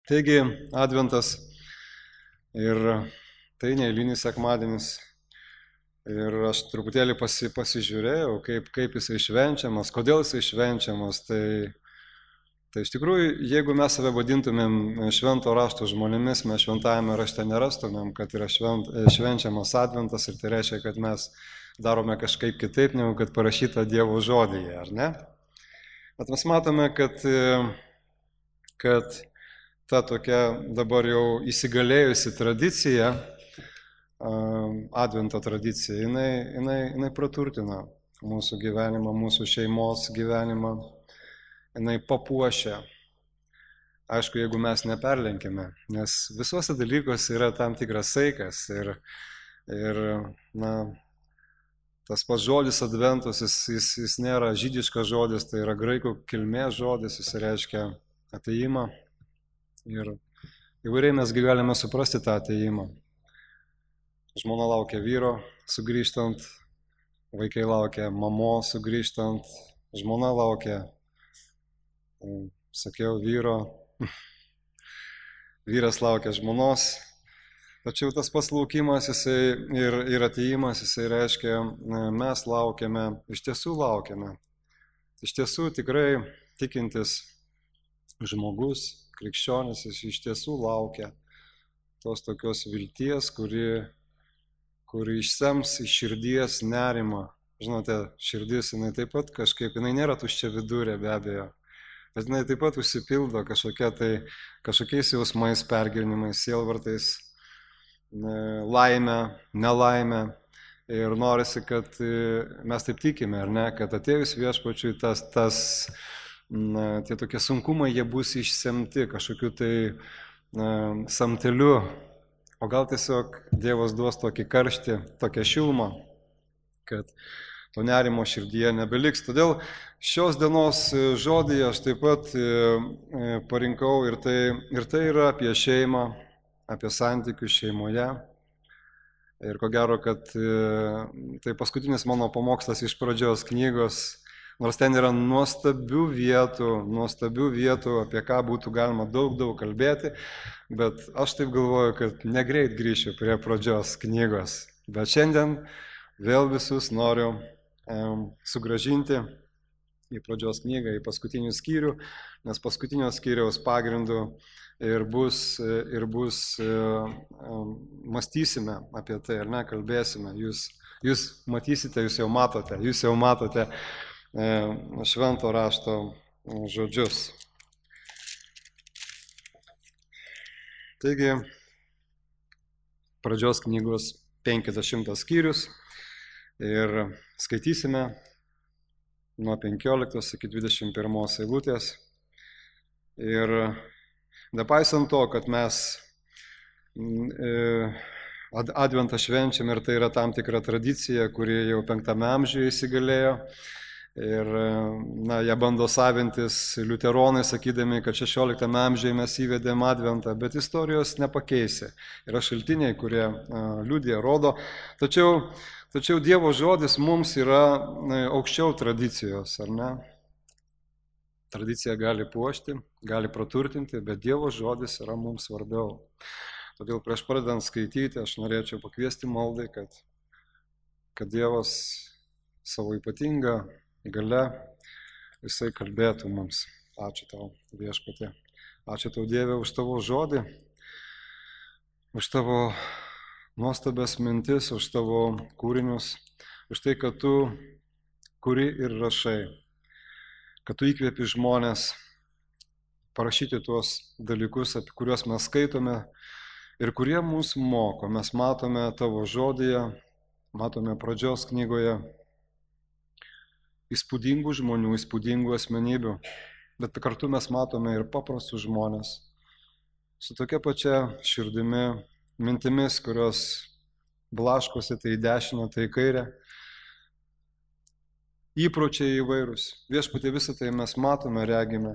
Taigi, Adventas ir tai neeilinis sekmadienis. Ir aš truputėlį pasižiūrėjau, kaip jisai švenčiamas, kodėl jisai švenčiamas. Tai iš tikrųjų, jeigu mes save vadintumėm švento rašto žmonėmis, mes šventajame rašte nerastumėm, kad yra švenčiamas Adventas ir tai reiškia, kad mes darome kažkaip kitaip, negu kad parašyta Dievo žodyje, ar ne? Bet mes matome, kad ta tokia dabar jau įsigalėjusi tradicija, Advento tradicija, jinai praturtina mūsų gyvenimą, mūsų šeimos gyvenimą, jinai papuošia. Aišku, jeigu mes neperlenkime, nes visuose dalykuose yra tam tikras saikas ir tas pats žodis Adventus, jis nėra žydiškas žodis, tai yra graikų kilmės žodis, jis reiškia atėjimą ir įvairiai mes galime suprasti tą atėjimą. Žmona laukia vyro sugrįžtant, vaikai laukia mamos sugrįžtant, žmona laukia, sakiau, vyro, vyras laukia žmonos. Tačiau tas pats laukimas ir atėjimas, jisai reiškia, mes laukiame, iš tiesų laukiame. Iš tiesų tikrai tikintis žmogus, krikščionis, jis iš tiesų laukia tos tokios vilties, kuri išsems iš širdies nerimą. Žinote, širdis, jinai taip pat kažkaip, jinai nėra tuščia vidurė be abejo, bet jinai taip pat užsipildo kažkokiais jausmais, pergyvenimais, sielvartais, laime, nelaime. Ir norisi, kad mes taip tikime, ar ne, kad atėjus viešpačiui tie tokie sunkumai, jie bus išsemti kažkokiu tai samteliu. O gal tiesiog Dievas duos tokį karštį, tokią šilumą, kad to nerimo širdyje nebeliks. Todėl šios dienos žodį aš taip pat parinkau ir tai yra apie šeimą, apie santykius šeimoje. Ir ko gero, kad tai paskutinis mano pamokslas iš pradžios knygos, nors ten yra nuostabių vietų, apie ką būtų galima daug kalbėti, bet aš taip galvoju, kad negreit grįšiu prie pradžios knygos. Bet šiandien vėl visus noriu sugrąžinti į pradžios knygą, į paskutinį skyrių, nes paskutinio skyriaus pagrindu ir bus mąstysime apie tai, ar ne, kalbėsime. Jūs matysite, jūs jau matote švento rašto žodžius. Taigi, pradžios knygos 50 skyrius ir skaitysime nuo 15 iki 21 eilutės. Ir nepaisant to, kad mes Adventą švenčiam ir tai yra tam tikra tradicija, kuri jau 5 amžiuje įsigalėjo. Ir ją bando savintis liuteronai, sakydami, kad 16 amžiuje mes įvedėm Adventą, bet istorijos nepakeisi. Yra šaltiniai, kurie liudija, rodo. Tačiau Dievo žodis mums yra aukščiau tradicijos, ar ne? Tradicija gali puošti, gali praturtinti, bet Dievo žodis yra mums svarbiau. Todėl prieš pradedant skaityti, aš norėčiau pakviesti maldai, kad Dievas savo ypatingą gale jisai kalbėtų mums. Ačiū tau, viešpatie. Ačiū tau, Dieve, už tavo žodį, už tavo nuostabias mintis, už tavo kūrinius, už tai, kad tu kuri ir rašai, kad tu įkvėpi žmonės parašyti tuos dalykus, apie kuriuos mes skaitome ir kurie mūsų moko. Mes matome tavo žodyje, matome pradžios knygoje įspūdingų žmonių, įspūdingų asmenybių, bet kartu mes matome ir paprastus žmonės su tokia pačia širdimi, mintimis, kurios blaškosi tai į dešinę, tai į kairę, įpročiai įvairūs. Viešpatie, visą tai mes matome, regime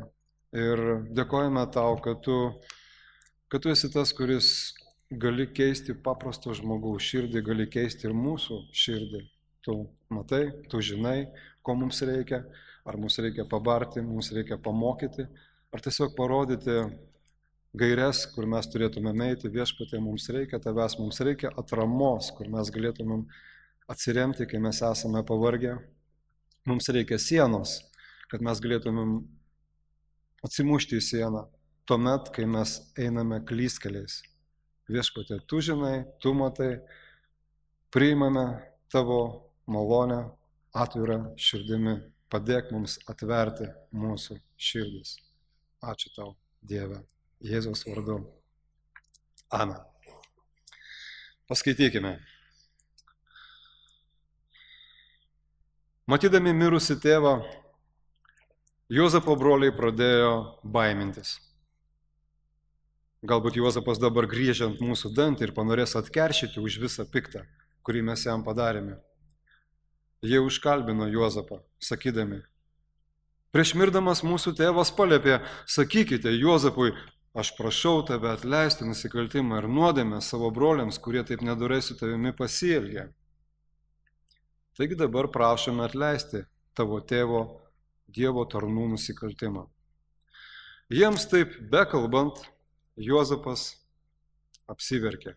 ir dėkojame tau, kad tu esi tas, kuris gali keisti paprasto žmogaus širdį, gali keisti ir mūsų širdį. Tu matai, tu žinai, ko mums reikia, ar mums reikia pabarti, mums reikia pamokyti, ar tiesiog parodyti gaires, kur mes turėtume eiti. Viešpatie, mums reikia tavęs, mums reikia atramos, kur mes galėtumėm atsiremti, kai mes esame pavargę. Mums reikia sienos, kad mes galėtumėm atsimušti į sieną, tuomet, kai mes einame klystkeliais. Viešpatie, tu žinai, tu matai, priimame tavo malonę atvirą širdimi. Padėk mums atverti mūsų širdis. Ačiū tau, Dieve, Jėzaus vardu. Amen. Paskaitykime. Matydami mirusį tėvą, Juozapo broliai pradėjo baimintis. Galbūt Juozapas dabar griežia ant mūsų dantį ir panorės atkeršyti už visą piktą, kurį mes jam padarėme. Jie užkalbino Juozapą, sakydami: prieš mirdamas mūsų tėvas paliepė, sakykite Juozapui, aš prašau tave atleisti nusikaltimą ir nuodėmę savo broliams, kurie taip nedorai su tavimi pasielgė. Taigi dabar prašome atleisti tavo tėvo Dievo tarnų nusikaltimą. Jiems taip bekalbant, Juozapas apsiverkė.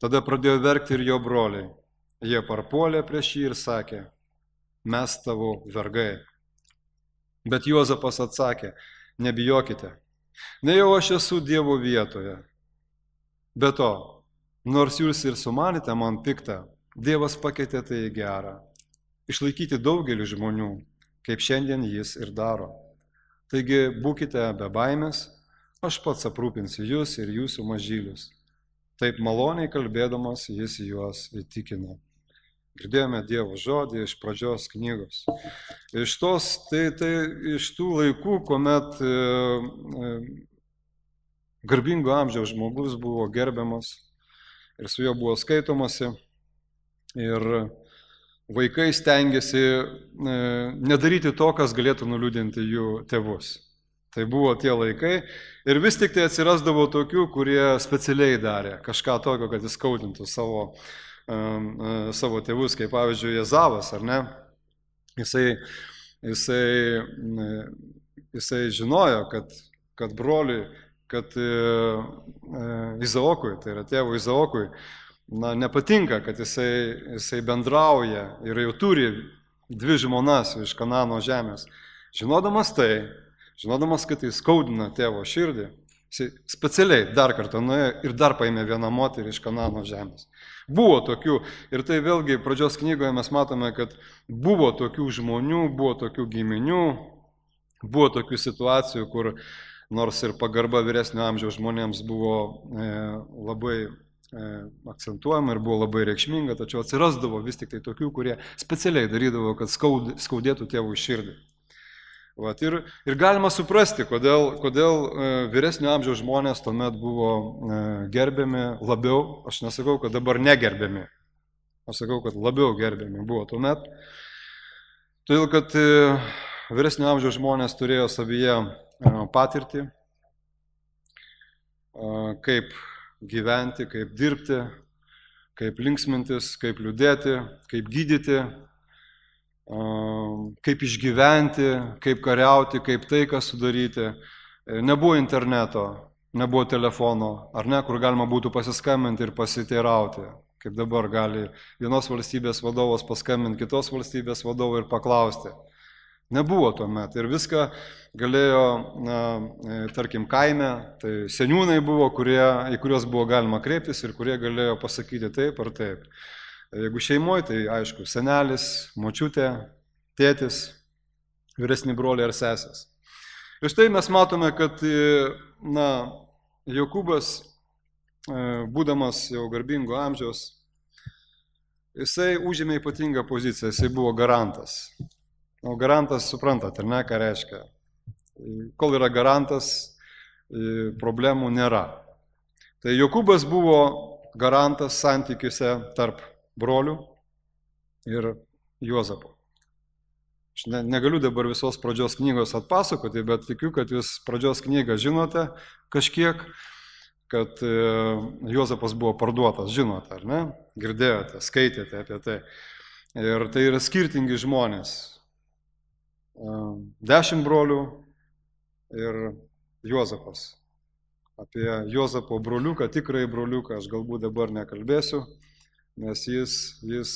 Tada pradėjo verkti ir jo broliai. Jie parpuolė prieš jį ir sakė: mes tavo vergai. Bet Juozapas atsakė: nebijokite, nejau aš esu Dievo vietoje. Be to, nors jūs ir sumanėte man piktą, Dievas pakeitė tai į gerą. Išlaikyti daugelį žmonių, kaip šiandien jis ir daro. Taigi būkite be baimės, aš pats aprūpinsiu jūs ir jūsų mažylius. Taip maloniai kalbėdamas jis juos įtikino. Girdėjome Dievo žodį iš pradžios knygos. Iš tų laikų, kuomet garbingo amžiaus žmogus buvo gerbiamas ir su juo buvo skaitomasi. Ir vaikai stengiasi nedaryti to, kas galėtų nuliūdinti jų tėvus. Tai buvo tie laikai ir vis tik tai atsirasdavo tokių, kurie specialiai darė kažką tokio, kad įskaudintų savo tėvus, kaip pavyzdžiui Ezavas, ar ne? Jisai žinojo, kad broliui, kad Izaokui, tai yra tėvo Izaokui, nepatinka, kad jisai bendrauja ir jau turi 2 žmonas iš Kanano žemės. Žinodamas, kad tai skaudina tėvo širdį, jisai specialiai dar kartą nuėjo ir dar paėmė vieną moterį iš Kanano žemės. Buvo tokių, ir tai vėlgi pradžios knygoje mes matome, kad buvo tokių žmonių, buvo tokių giminių, buvo tokių situacijų, kur nors ir pagarba vyresnio amžiaus žmonėms buvo labai akcentuojama ir buvo labai reikšminga, tačiau atsirasdavo vis tik tai tokių, kurie specialiai darydavo, kad skaudėtų tėvų širdį. Ir galima suprasti, kodėl vyresnio amžiaus žmonės tuomet buvo gerbiami labiau. Aš nesakau, kad dabar negerbiami. Aš sakau, kad labiau gerbiami buvo tuomet. Todėl, kad vyresnio amžiaus žmonės turėjo savyje patirtį, kaip gyventi, kaip dirbti, kaip linksmintis, kaip liūdėti, kaip gydyti, kaip išgyventi, kaip kariauti, kaip taiką sudaryti. Nebuvo interneto, nebuvo telefono, ar ne, kur galima būtų pasiskambinti ir pasiteirauti, kaip dabar gali vienos valstybės vadovas paskambinti kitos valstybės vadovui ir paklausti. Nebuvo tuomet ir viską galėjo, tarkim, kaime, tai seniūnai buvo, į kuriuos buvo galima kreiptis ir kurie galėjo pasakyti taip ar taip. Jeigu šeimoje, tai aišku, senelis, močiutė, tėtis, vyresni broliai ar sesės. Ir štai mes matome, kad Jokūbas, būdamas jau garbingo amžiaus, jisai užėmė ypatingą poziciją, jisai buvo garantas. Garantas, suprantat, ar ne, ką reiškia? Kol yra garantas, problemų nėra. Tai Jokūbas buvo garantas santykiuose tarp brolių ir Juozapo. Aš negaliu dabar visos pradžios knygos atpasakoti, bet tikiu, kad jūs pradžios knygą žinote kažkiek, kad Juozapas buvo parduotas, žinote, ar ne? Girdėjote, skaitėte apie tai. Ir tai yra skirtingi žmonės. 10 brolių ir Juozapas. Apie Juozapo broliuką, tikrąjį broliuką aš galbūt dabar nekalbėsiu, nes jis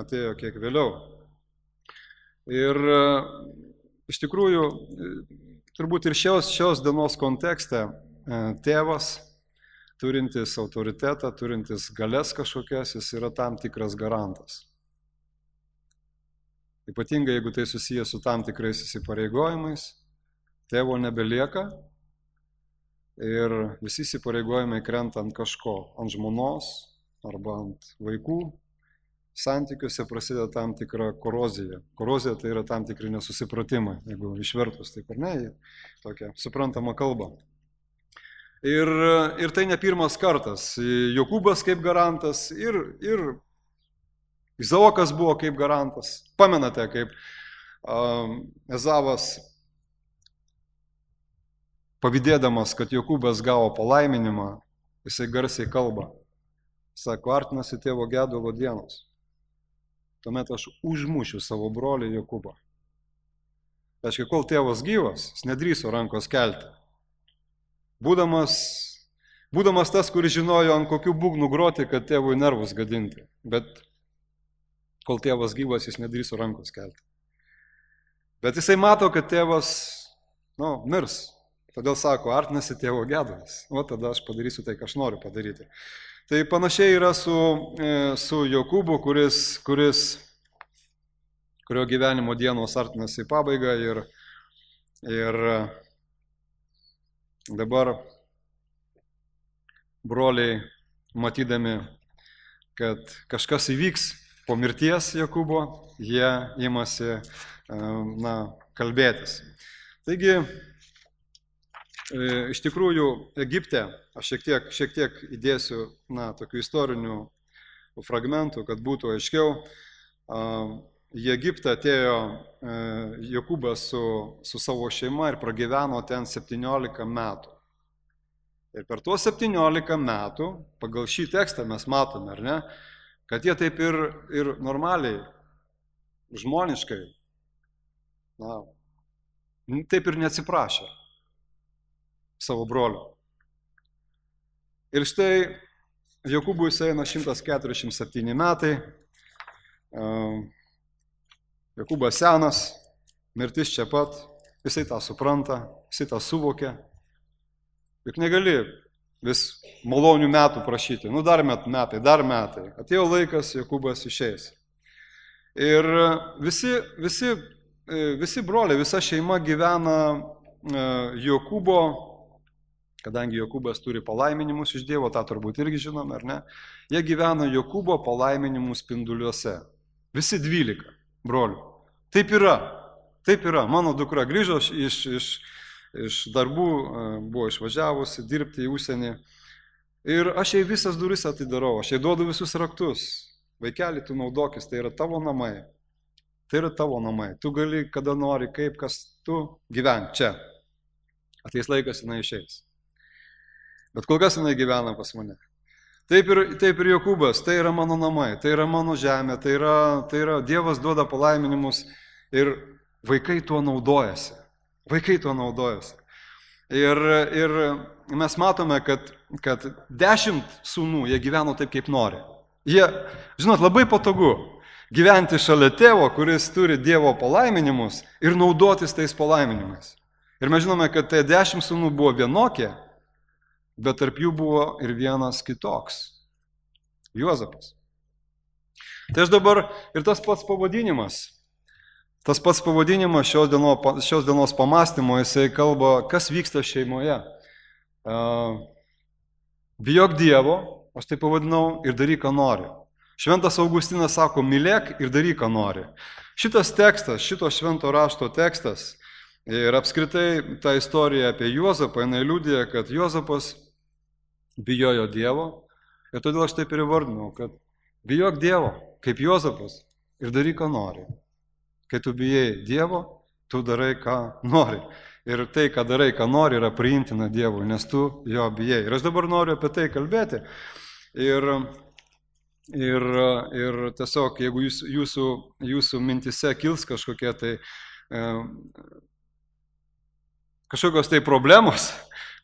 atėjo kiek vėliau. Ir iš tikrųjų, turbūt ir šios dienos kontekste tėvas, turintis autoritetą, turintis galės kažkokias, jis yra tam tikras garantas. Ypatingai, jeigu tai susijęs su tam tikrais įsipareigojimais, tėvo nebelieka ir visi įsipareigojimai krenta ant kažko, ant žmonos arba ant vaikų. Santykiuose prasideda tam tikra korozija. Korozija tai yra tam tikri nesusipratimai, jeigu išvertus taip ar ne, į tokią suprantamą kalbą. Ir tai ne pirmas kartas. Jokūbas kaip garantas ir Izaokas buvo kaip garantas. Pamenate, kaip Ezavas, pavydėdamas, kad Jokūbas gavo palaiminimą, jisai garsiai kalba. Sako, artinasi tėvo gedulo dienos. Tuomet aš užmušiu savo brolį Jokūbą. Tai reiškia, kol tėvas gyvas, jis nedrįso rankos kelti. Būdamas tas, kuris žinojo, ant kokių būgnų groti, kad tėvui nervus gadinti. Bet kol tėvas gyvas, jis nedrįso rankos kelti. Bet jisai mato, kad tėvas, mirs. Todėl sako, artinasi tėvo gedulas. O tada aš padarysiu tai, ką aš noriu padaryti. Tai panašiai yra su Jokūbu, kurio gyvenimo dienos artinasi į pabaigą ir dabar broliai, matydami, kad kažkas įvyks po mirties Jokūbo, jie imasi kalbėtis. Taigi, iš tikrųjų, Egipte, aš šiek tiek įdėsiu tokių istorinių fragmentų, kad būtų aiškiau. Į Egiptą atėjo Jokūbas su savo šeima ir pragyveno ten 17 metų. Ir per tuos 17 metų, pagal šį tekstą mes matome, ar ne, kad jie taip ir normaliai, žmoniškai, taip ir neatsiprašė savo brolio. Ir štai Jokūbui eina 147 metai, Jokūbas senas, mirtis čia pat, jisai tą supranta, jisai tą suvokia. Juk negali vis malonių metų prašyti, dar metai. Atėjo laikas, Jokūbas išeis. Ir visi broliai, visa šeima gyvena Jokūbo, kadangi Jokūbas turi palaiminimus iš Dievo, tą turbūt irgi žinome, ar ne? Jie gyvena Jokūbo palaiminimų spinduliuose. Visi 12 brolių. Taip yra. Mano dukra grįžo iš darbų, buvo išvažiavusi dirbti į užsienį. Ir aš jai visas duris atidarau, aš jai duodu visus raktus. Vaikeli, tu naudokis, tai yra tavo namai. Tu gali, kada nori, kaip, kas tu gyventi čia. Ateis laikas, jinai išeis. Bet kol kas jinai gyvena pas mane. Taip ir Jokūbas, tai yra mano namai, tai yra mano žemė, tai yra Dievas duoda palaiminimus ir vaikai tuo naudojasi. Ir mes matome, kad 10 sūnų, jie gyveno taip, kaip nori. Jie, labai patogu gyventi šalia tėvo, kuris turi Dievo palaiminimus ir naudotis tais palaiminimais. Ir mes žinome, kad tai 10 sūnų buvo vienokie, bet tarp jų buvo ir vienas kitoks. Juozapas. Tai aš dabar ir tas pats pavadinimas šios dienos pamąstymo, jisai kalba, kas vyksta šeimoje. Bijok Dievo, aš tai pavadinau, ir daryk, ką nori. Šventas Augustinas sako, mylėk ir daryk, ką nori. Šitas tekstas, šito švento rašto tekstas ir apskritai ta istorija apie Juozapą, jinai liudija, kad Juozapas bijojo Dievo ir todėl aš taip ir įvardinau, kad bijok Dievo, kaip Juozapas ir daryk, ką nori. Kai tu bijai Dievo, tu darai, ką nori. Ir tai, ką darai, ką nori, yra priimtina Dievui, nes tu jo bijai. Ir aš dabar noriu apie tai kalbėti. Ir tiesiog, jeigu jūsų mintise kils kažkokie tai kažkokios tai problemos,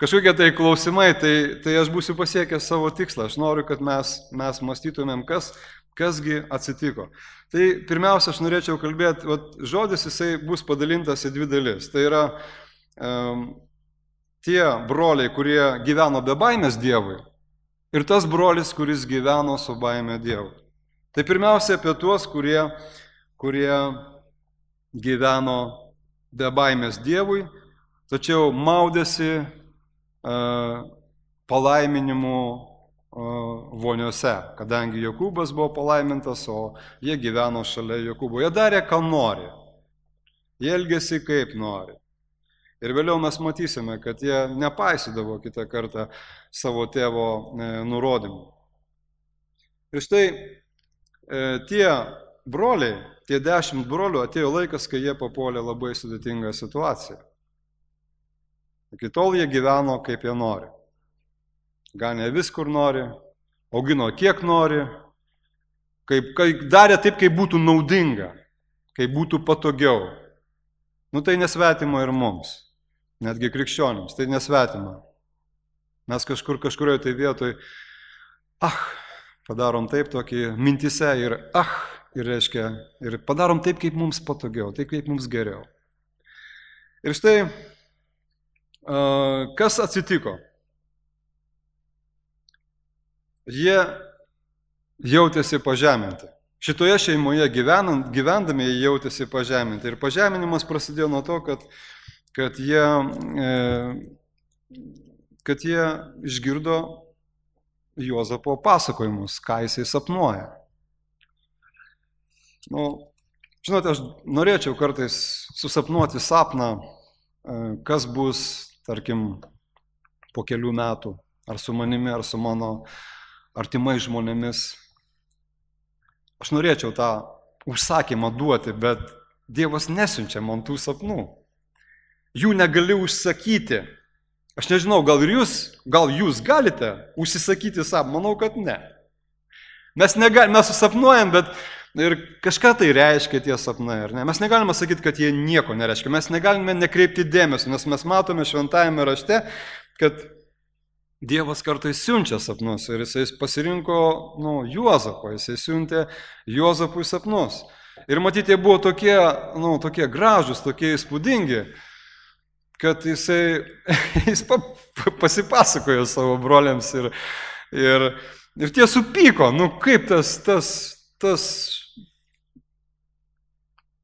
kažkokie tai klausimai, tai aš būsiu pasiekęs savo tikslą. Aš noriu, kad mes mąstytumėm, kasgi atsitiko. Tai pirmiausia, aš norėčiau kalbėti, žodis jisai bus padalintas į dvi dalis. Tai yra tie broliai, kurie gyveno be baimės Dievui ir tas brolis, kuris gyveno su baime Dievui. Tai pirmiausia apie tuos, kurie gyveno be baimės Dievui, tačiau maudėsi palaiminimų voniuose, kadangi Jokūbas buvo palaimintas, o jie gyveno šalia Jokūbo. Jie darė, ką nori. Jie elgėsi kaip nori. Ir vėliau mes matysime, kad jie nepaisydavo kitą kartą savo tėvo nurodymų. Ir štai tie broliai, tie 10 brolių, atėjo laikas, kai jie papuolė labai sudėtingą situaciją. Iki tol jie gyveno kaip jie nori. Ganė vis kur nori, augino kiek nori, darė taip, kaip būtų naudinga, kaip būtų patogiau. Tai nesvetima ir mums, netgi krikščionims, tai nesvetima. Mes kažkurioje tai vietoj, padarom taip tokį mintise ir reiškia, ir padarom taip, kaip mums patogiau, taip, kaip mums geriau. Ir štai, kas atsitiko? Jie jautėsi pažeminti. Šitoje šeimoje gyvendami jie jautėsi pažeminti. Ir pažeminimas prasidėjo nuo to, kad jie išgirdo Juozapo pasakojimus, ką jisai sapnuoja. Žinote, aš norėčiau kartais susapnuoti sapną, kas bus, tarkim, po kelių metų, ar su manimi, ar su mano artimai žmonėmis. Aš norėčiau tą užsakymą duoti, bet Dievas nesiunčia man tų sapnų. Jų negali užsakyti. Aš nežinau, gal jūs galite užsisakyti sapną? Manau, kad ne. Mes susapnuojam, bet ir kažką tai reiškia tie sapnai, ar ne? Mes negalime sakyti, kad jie nieko nereiškia. Mes negalime nekreipti dėmesio, nes mes matome šventajame rašte, kad Dievas kartais siunčia sapnus ir jisai pasirinko Juozapą, jisai siuntė Juozapui sapnus. Ir matyti, jie buvo tokie gražus, tokie įspūdingi, kad jis pasipasakojo savo broliams ir tie supyko, kaip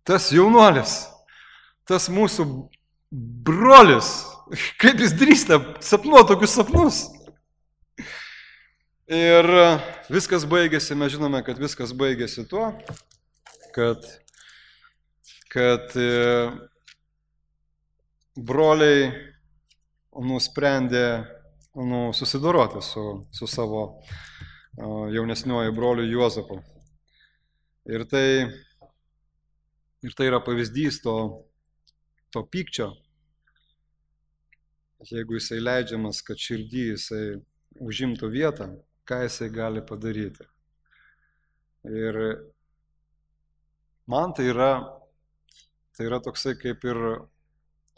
tas jaunuolis, tas mūsų brolis, kaip jis drįsta sapnuoti tokius sapnus. Ir viskas baigėsi, mes žinome, kad viskas baigėsi tuo, kad broliai nusprendė susidoroti su savo jaunesniuoju broliu Juozapu. Ir tai yra pavyzdys to pykčio. Jeigu jisai leidžiamas, kad širdį jisai užimtų vietą, ką jisai gali padaryti. Ir man tai yra toksai kaip ir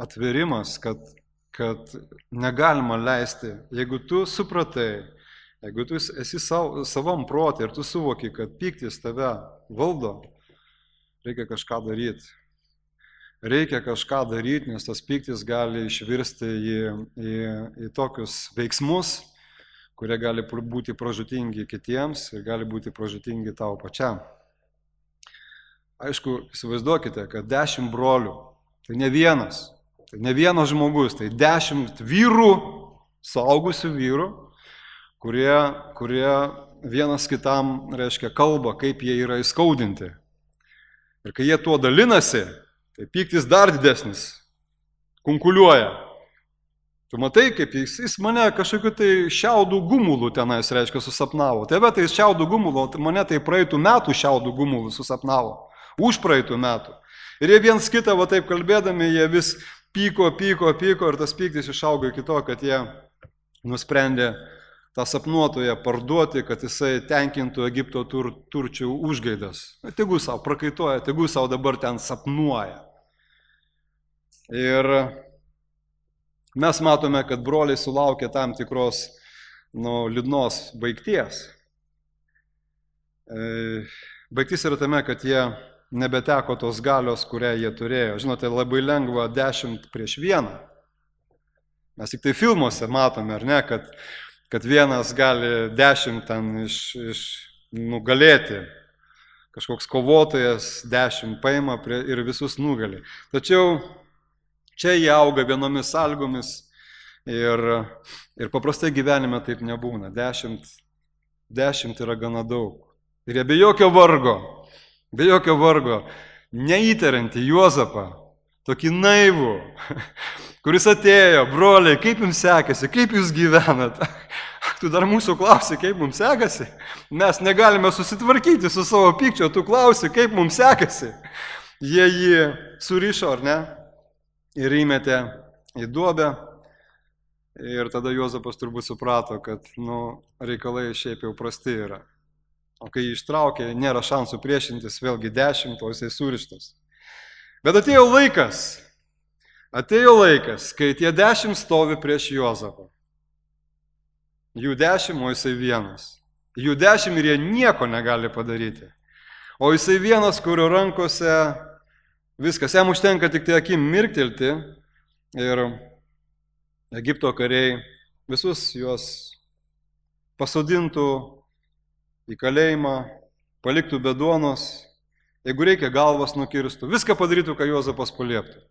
atverimas, kad negalima leisti, jeigu tu supratai, jeigu tu esi savam protė ir tu suvoki, kad pyktis tave valdo, reikia kažką daryti. Reikia kažką daryti, nes tas pyktis gali išvirsti į tokius veiksmus, kurie gali būti pražūtingi kitiems ir gali būti pražūtingi tau pačiam. Aišku, įsivaizduokite, kad 10 brolių, tai ne vienas žmogus, tai 10 vyrų, suaugusių vyrų, kurie vienas kitam, reiškia, kalba, kaip jie yra įskaudinti. Ir kai jie tuo dalinasi, tai pyktis dar didesnis, kunkuliuoja. Tu matai, kaip jis mane kažkokiu tai šiaudų gumulų tenais, reiškia, susapnavo. Tebe tai šiaudų gumulų, mane tai praeitų metų šiaudų gumulų susapnavo. Už praeitų metų. Ir jie viens kitą, taip kalbėdami, jie vis pyko ir tas pyktis išaugo iki to, kad jie nusprendė tą sapnuotoją parduoti, kad jisai tenkintų Egipto turčių užgaidas. Tegu savo prakaituoja, tegu savo dabar ten sapnuoja. Ir mes matome, kad broliai sulaukė tam tikros liūdnos baigties. Baigtis yra tame, kad jie nebeteko tos galios, kurią jie turėjo. Žinote, labai lengva 10 prieš 1. Mes tik tai filmuose matome, ar ne, kad vienas gali 10 ten nugalėti. Kažkoks kovotojas 10 paima ir visus nugali. Tačiau čia jie auga vienomis sąlygomis ir paprastai gyvenime taip nebūna. 10 yra gana daug. Ir jie be jokio vargo, neįtariantį Juozapą, tokį naivų, kuris atėjo, broliai, kaip jums sekasi, kaip jūs gyvenat? Tu dar mūsų klausi, kaip mums sekasi? Mes negalime susitvarkyti su savo pykčio, tu klausi, kaip mums sekasi? Jie jį surišo, ar ne? Ir įmetė į duobę. Ir tada Juozapas turbūt suprato, kad reikalai šiaip jau prasti yra. O kai jį ištraukė, nėra šansų priešintis, vėlgi 10, o jisai surištas. Bet atėjo laikas, kai tie 10 stovi prieš Juozapą. Jų 10, o jisai vienas. Jų 10 ir jie nieko negali padaryti. O jisai vienas, kurio rankose viskas, jam užtenka tik tai akim mirktelti ir Egipto kariai visus juos pasodintų į kalėjimą, paliktų be duonos, jeigu reikia galvas nukirstų, viską padarytų, ką Juozapas palieptų.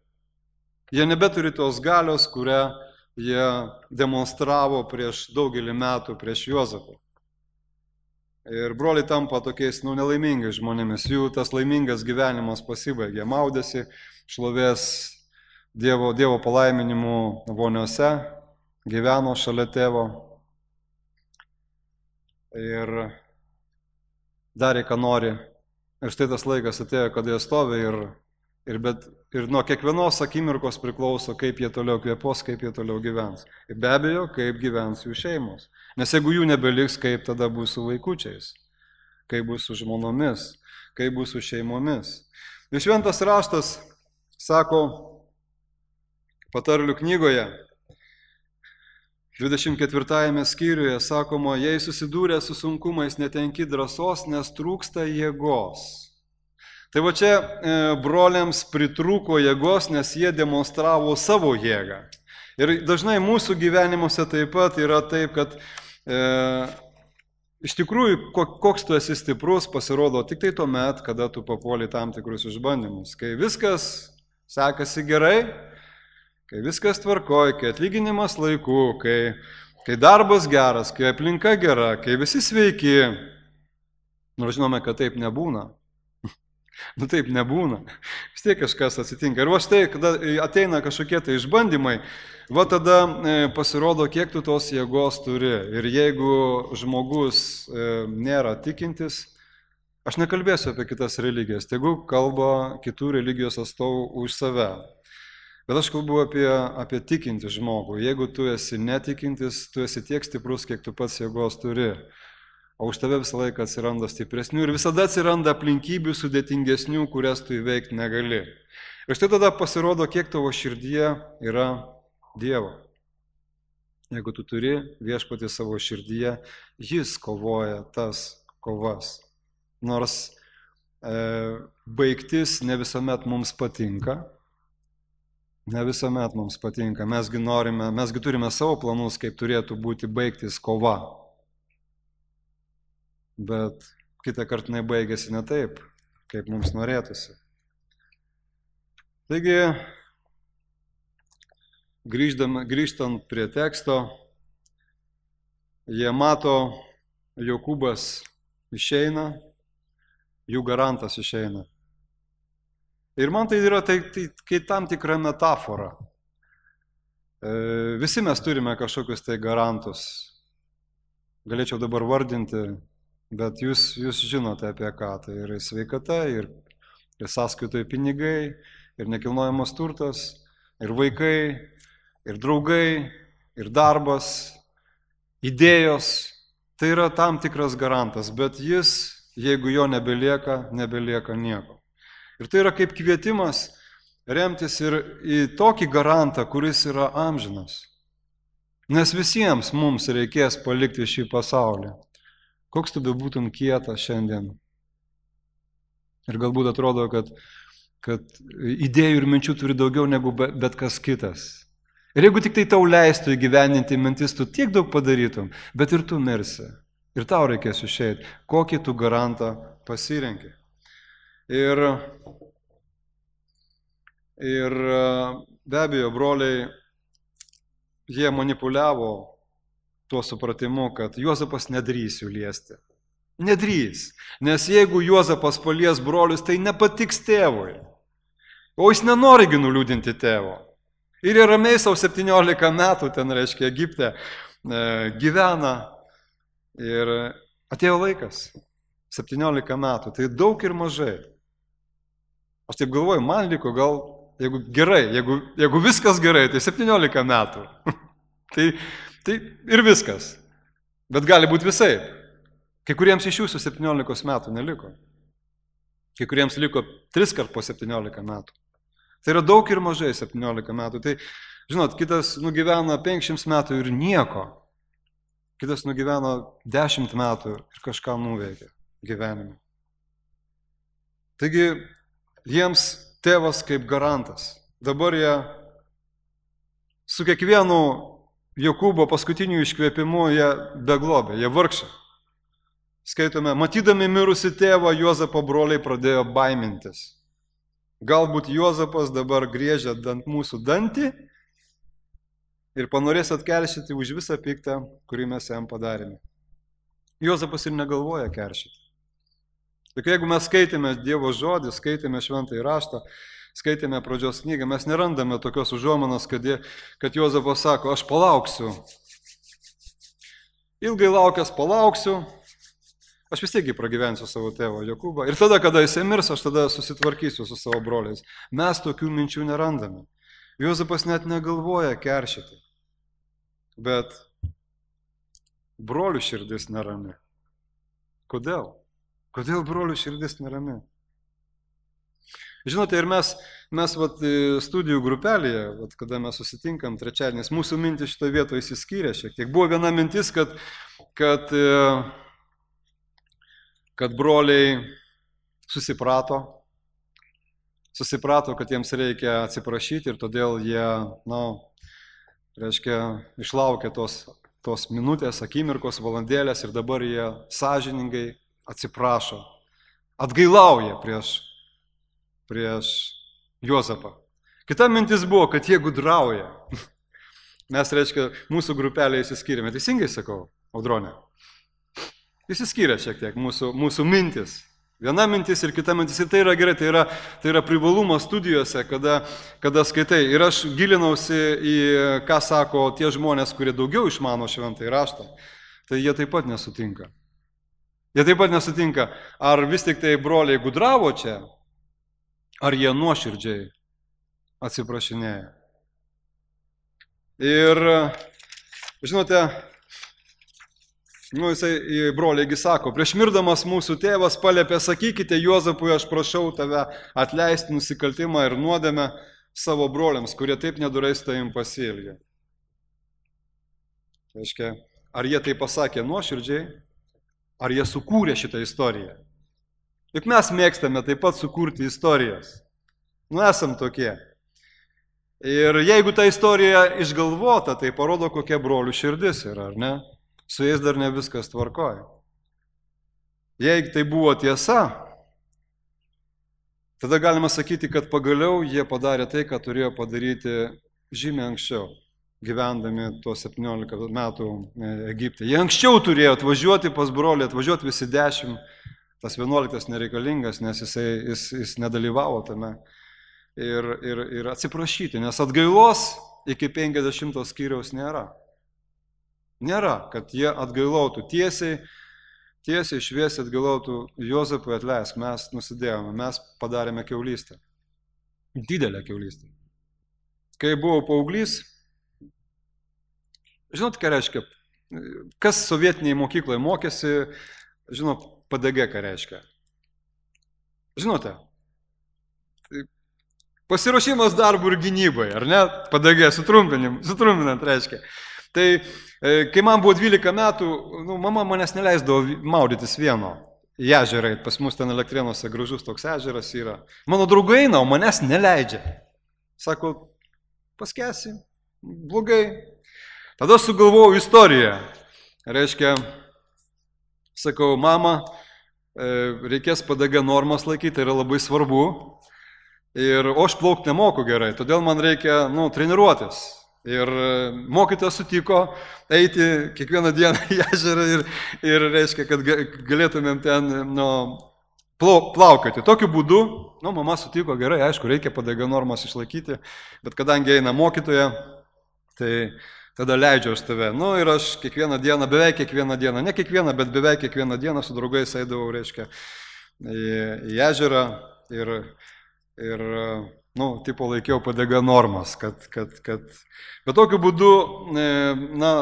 Jie nebeturi tos galios, kurią jie demonstravo prieš daugelį metų prieš Juozapą. Ir broliai tampa tokiais nelaimingais žmonėmis, jų tas laimingas gyvenimas pasibaigė, maudėsi, šlovės Dievo palaiminimų voniose, gyveno šalia tėvo ir darė, ką nori. Ir štai tas laikas atėjo, kada jie stovi ir nuo kiekvienos akimirkos priklauso, kaip jie toliau kvėpos, kaip jie toliau gyvens. Ir be abejo, kaip gyvens jų šeimos. Nes jeigu jų nebeliks, kaip tada bus su vaikučiais, kaip bus su žmonomis, kaip bus su šeimomis. Ir šventas raštas sako Patarlių knygoje, 24 skyriuje sakoma, jei susidūrė su sunkumais, netenki drąsos, nes trūksta jėgos. Tai va čia broliams pritrūko jėgos, nes jie demonstravo savo jėgą. Ir dažnai mūsų gyvenimuose taip pat yra taip, kad iš tikrųjų, koks tu esi stiprus, pasirodo tik tai tuomet, kada tu papuoli tam tikrus išbandymus. Kai viskas sekasi gerai, kai viskas tvarkoj, kai atlyginimas laiku, kai darbas geras, kai aplinka gera, kai visi sveiki, nors žinome, kad taip nebūna. Taip nebūna. Vis tiek kažkas atsitinka. Ir va štai, kada ateina kažkokie tai išbandymai, va tada pasirodo, kiek tu tos jėgos turi. Ir jeigu žmogus nėra tikintis, aš nekalbėsiu apie kitas religijas, tegu kalba kitų religijos atstovų už save. Bet aš kalbu apie tikintį žmogų. Jeigu tu esi netikintis, tu esi tiek stiprus, kiek tu pats jėgos turi. O už tave visą laiką atsiranda stipresnių ir visada atsiranda aplinkybių sudėtingesnių, kurias tu įveikti negali. Ir štai tada pasirodo, kiek tavo širdyje yra Dievo. Jeigu tu turi viešpatį savo širdyje, jis kovoja tas kovas. Nors baigtis ne visuomet mums patinka. Mes gi turime savo planus, kaip turėtų būti baigtis kova. Bet kitą kartą jinai baigėsi ne taip, kaip mums norėtųsi. Taigi, grįžtant prie teksto, jie mato, Jokūbas išeina, jų garantas išeina. Ir man tai yra kai tam tikra metafora. Visi mes turime kažkokius tai garantus. Galėčiau dabar vardinti, bet jūs žinote apie ką. Tai yra sveikata, ir sąskaitoje pinigai, ir nekilnojamas turtas, ir vaikai, ir draugai, ir darbas, idėjos. Tai yra tam tikras garantas, bet jis, jeigu jo nebelieka nieko. Ir tai yra kaip kvietimas remtis ir į tokį garantą, kuris yra amžinas. Nes visiems mums reikės palikti šį pasaulį. Koks tu bebūtum kietas šiandien. Ir galbūt atrodo, kad idėjų ir minčių turi daugiau negu bet kas kitas. Ir jeigu tik tai tau leistų įgyvendinti mintis, tu tiek daug padarytum, bet ir tu mirsi. Ir tau reikės išeiti. Kokį tu garantą pasirenki. Ir be abejo, broliai, jie manipuliavo tuo supratimu, kad Juozapas nedrįs jų liesti. Nedrįs. Nes jeigu Juozapas palies brolius, tai nepatiks tėvui. O jis nenori nuliūdinti tėvo. Ir jie ramiai savo 17 metų, ten reiškia, Egipte gyvena. Ir atėjo laikas. 17 metų. Tai daug ir mažai. Aš taip galvoju, man liko gal, jeigu gerai, jeigu viskas gerai, tai 17 metų. tai ir viskas. Bet gali būti visai. Kai kuriems iš jūsų 17 metų neliko. Kai kuriems liko 3 kart po 17 metų. Tai yra daug ir mažai 17 metų. Tai, žinot, kitas nugyvena 500 metų ir nieko. Kitas nugyvena 10 metų ir kažką nuveikia gyvenime. Taigi, jiems tėvas kaip garantas. Dabar jie su kiekvienu Jokūbo paskutiniu iškvėpimu jie beglobė, jie vargšė. Skaitome, matydami mirusi tėvą, Juozapo broliai pradėjo baimintis. Galbūt Juozapas dabar griežia ant mūsų dantį ir panorės atkeršyti už visą piktą, kurį mes jam padarėme. Juozapas ir negalvoja keršyti. Tik jeigu mes skaitėme Dievo žodį, skaitėme Šventąjį raštą, skaitėme pradžios knygą, mes nerandame tokios užuomanos, kad Juozapas sako, aš palauksiu. Ilgai laukęs palauksiu, aš vis tiek pragyvensiu savo tėvą Jokūbą. Ir tada, kada jis mirs, aš tada susitvarkysiu su savo broliais. Mes tokių minčių nerandame. Juozapas net negalvoja keršyti. Bet brolių širdis nerami. Kodėl? Kodėl brolių širdis nerami? Žinote, ir mes studijų grupelėje, kada mes susitinkam trečiadieniais, mūsų mintis šitoje vietoje įsiskyrė šiek tiek. Buvo viena mintis, kad broliai susiprato, kad jiems reikia atsiprašyti ir todėl jie, išlaukė tos minutės, akimirkos, valandėlės ir dabar jie sąžiningai atsiprašo, atgailauja prieš Juozapą. Kita mintis buvo, kad jie gudrauja. Mes, mūsų grupelėje įsiskyrėme. Teisingai sakau, Audronė? Įsiskyrė šiek tiek mūsų mintis. Viena mintis ir kita mintis. Ir tai yra gerai, tai yra privalumas studijose, kada skaitai. Ir aš gilinausi į, ką sako tie žmonės, kurie daugiau išmano Šventąjį raštą. Tai jie taip pat nesutinka. Ar vis tik tai broliai gudravo čia, ar jie nuoširdžiai atsiprašinėja. Ir, žinote, jisai broliai sako, prieš mirdamas mūsų tėvas paliepė, sakykite Juozapui, aš prašau tave atleisti nusikaltimą ir nuodėmę savo broliams, kurie taip nedorai su tavim pasielgė. Ar jie tai pasakė nuoširdžiai, ar jie sukūrė šitą istoriją? Juk mes mėgstame taip pat sukurti istorijas. Esam tokie. Ir jeigu ta istorija išgalvota, tai parodo, kokia brolių širdis yra, ar ne? Su jais dar ne viskas tvarkoja. Jeigu tai buvo tiesa, tada galima sakyti, kad pagaliau jie padarė tai, ką turėjo padaryti žymiai anksčiau, gyvendami tuos 17 metų Egipte. Jie anksčiau turėjo atvažiuoti pas brolį, atvažiuoti visi 10, tas 11 nereikalingas, nes jis nedalyvavo tame. Ir atsiprašyti, nes atgailos iki 50 skyriaus nėra. Nėra, kad jie atgailautų tiesiai, šviesiai atgailautų Juozapui atleisk, mes nusidėjome, mes padarėme kiaulystę. Didelę kiaulystę. Kai buvau paauglys, žinot, ką reiškia, kas sovietiniai mokykloje mokėsi, žinot, PDG ką reiškia. Žinote, Pasiruošimas darbų ir gynybai, ar ne? Padagė, sutrumpinant reiškia. Tai kai man buvo 12 metų, mama manęs neleisdavo maudytis vieno. Į ežerą, pas mus ten Elektrėnuose gražus toks ežeras yra. Mano draugai eina, o manęs neleidžia. Sako, paskesi, blogai. Tada sugalvojau istoriją. Reiškia, sakau, mama, reikės padagę normas laikyti, tai yra labai svarbu. Ir aš plaukti nemoku gerai, todėl man reikia, treniruotis. Ir mokytojas sutiko eiti kiekvieną dieną į ežerą ir reiškia, kad galėtumėm ten plaukioti. Tokiu būdu, mama sutiko gerai, aišku, reikia padagę normas išlaikyti, bet kadangi eina mokytoja, tai tada leidžiu aš tave. Ir aš kiekvieną dieną, beveik kiekvieną dieną, ne kiekvieną, bet beveik kiekvieną dieną su draugais eidavau, reiškia, į ežerą ir tipo laikiau padagę normas, bet tokiu būdu,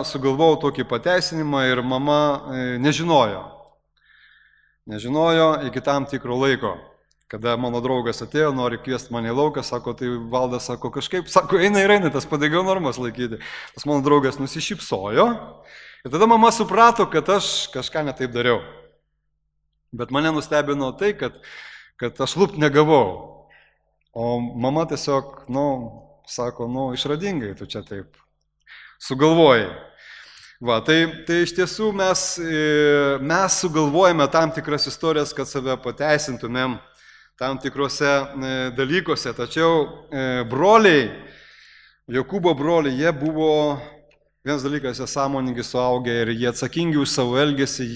sugalvojau tokį pateisinimą ir mama nežinojo iki tam tikro laiko. Kada mano draugas atėjo, nori kviesti mane į lauką, sako, tai Valdas, sako, kažkaip, eina tas padagę normas laikyti. Tas mano draugas nusišypsojo ir tada mama suprato, kad aš kažką netaip dariau. Bet mane nustebino tai, kad aš lupt negavau. O mama tiesiog, sako, išradingai tu čia taip sugalvojai. Tai iš tiesų mes sugalvojame tam tikras istorijas, kad save pateisintumėm tam tikrose dalykuose. Tačiau broliai, Jokūbo broliai, jie buvo, vienas dalykas, jie sąmoningi suaugę ir jie atsakingi už savo elgesį,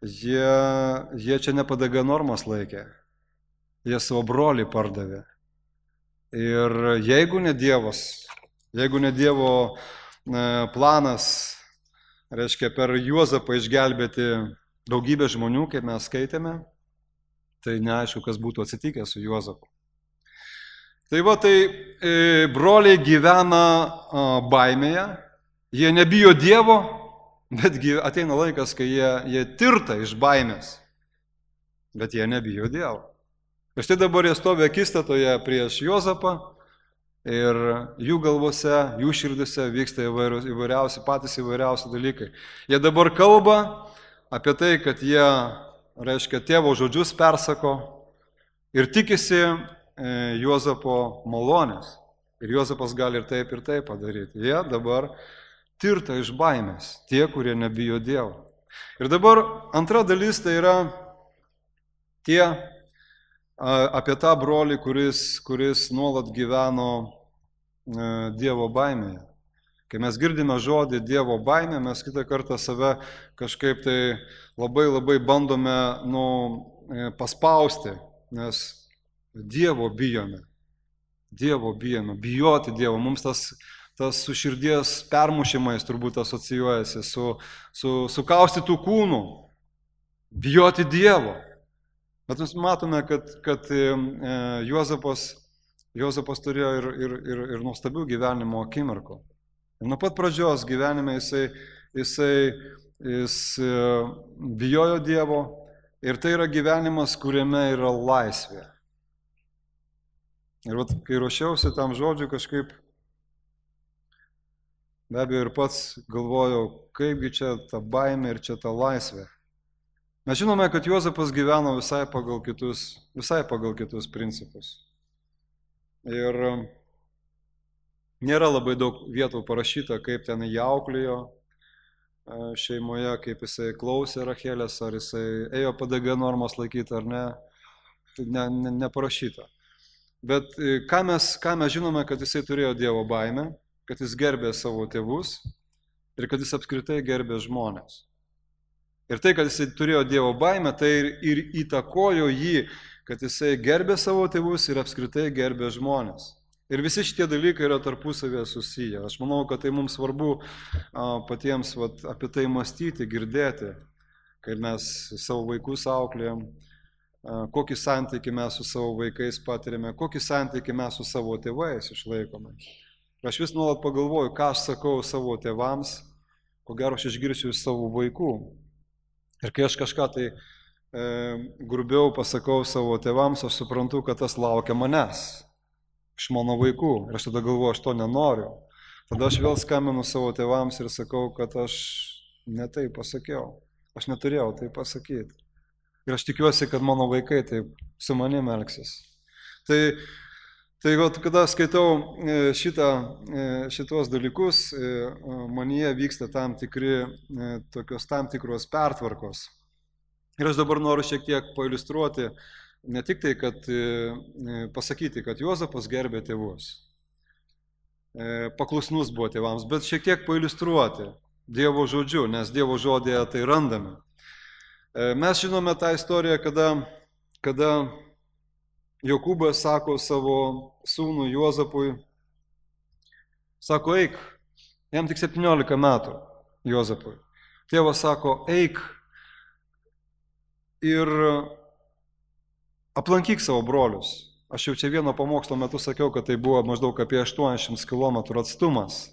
jie čia ne padagę normas laikė. Jie savo brolį pardavė. Ir jeigu ne Dievo planas, reiškia, per Juozapą išgelbėti daugybę žmonių, kaip mes skaitėme, tai neaišku, kas būtų atsitikę su Juozapu. Tai broliai gyvena baimėje, jie nebijo Dievo, bet ateina laikas, kai jie tirta iš baimės, bet jie nebijo Dievo. Ir štai dabar jie stovi akistatoje prieš Juozapą ir jų galvose, jų širdise vyksta patys įvairiausi dalykai. Jie dabar kalba apie tai, kad jie, reiškia, tėvo žodžius persako ir tikisi Juozapo malonės. Ir Juozapas gali ir taip padaryti. Jie dabar tirta iš baimės, tie, kurie nebijo Dievo. Ir dabar antra dalis tai yra tie apie tą brolį, kuris nuolat gyveno Dievo baimėje. Kai mes girdime žodį Dievo baimė, mes kitą kartą save kažkaip tai labai bandome paspausti, nes Dievo bijome. Bijoti Dievo. Mums tas su širdies permušimais turbūt asocijuojasi, su kaustytų kūnų. Bijoti Dievo. Bet mes matome, kad Juozapas turėjo ir nuostabių gyvenimo akimirkų. Ir nuo pat pradžios gyvenime jis bijojo Dievo ir tai yra gyvenimas, kuriame yra laisvė. Ir kai ruošiausi tam žodžiu kažkaip, be abejo ir pats galvojau, kaipgi čia ta baimė ir čia ta laisvė. Mes žinome, kad Juozapas gyveno visai pagal kitus principus. Ir nėra labai daug vietų parašyta, kaip ten jį auklėjo šeimoje, kaip jisai klausė Rachelės, ar jisai ėjo padagę normas laikyti ar ne. Tai neparašyta. Bet ką mes žinome, kad jisai turėjo Dievo baimę, kad jis gerbė savo tėvus ir kad jis apskritai gerbė žmonės. Ir tai, kad jisai turėjo Dievo baimę, tai ir įtakojo jį, kad jisai gerbė savo tėvus ir apskritai gerbė žmonės. Ir visi šitie dalykai yra tarpusavėje susiję. Aš manau, kad tai mums svarbu patiems apie tai mąstyti, girdėti, kai mes savo vaikus auklėjam, kokį santykį mes su savo vaikais patirime, kokį santykį mes su savo tėvais išlaikome. Aš vis nuolat pagalvoju, ką aš sakau savo tėvams, ko gero aš išgirsiu iš savo vaikų. Ir kai aš kažką tai grubiau pasakau savo tėvams, aš suprantu, kad tas laukia manęs. iš mano vaikų. Ir aš tada galvoju, aš to nenoriu. Tada aš vėl skambinu savo tėvams ir sakau, kad aš ne taip pasakiau. Aš neturėjau taip pasakyti. Ir aš tikiuosi, kad mano vaikai taip su manim elgsis. Tai kada skaitau šitos dalykus, manyje vyksta tam tikros pertvarkos. Ir aš dabar noriu šiek tiek pailiustruoti, ne tik tai, kad pasakyti, kad Juozapas gerbė tėvus, paklusnus buvo tėvams, bet šiek tiek pailiustruoti Dievo žodžiu, nes Dievo žodėje tai randame. Mes žinome tą istoriją, kada Jokūbas sako savo sūnų Juozapui, sako, eik, jam tik 17 metų Juozapui. Tėvas sako, eik ir aplankyk savo brolius. Aš jau čia vieno pamokslo metu sakiau, kad tai buvo maždaug apie 800 km atstumas,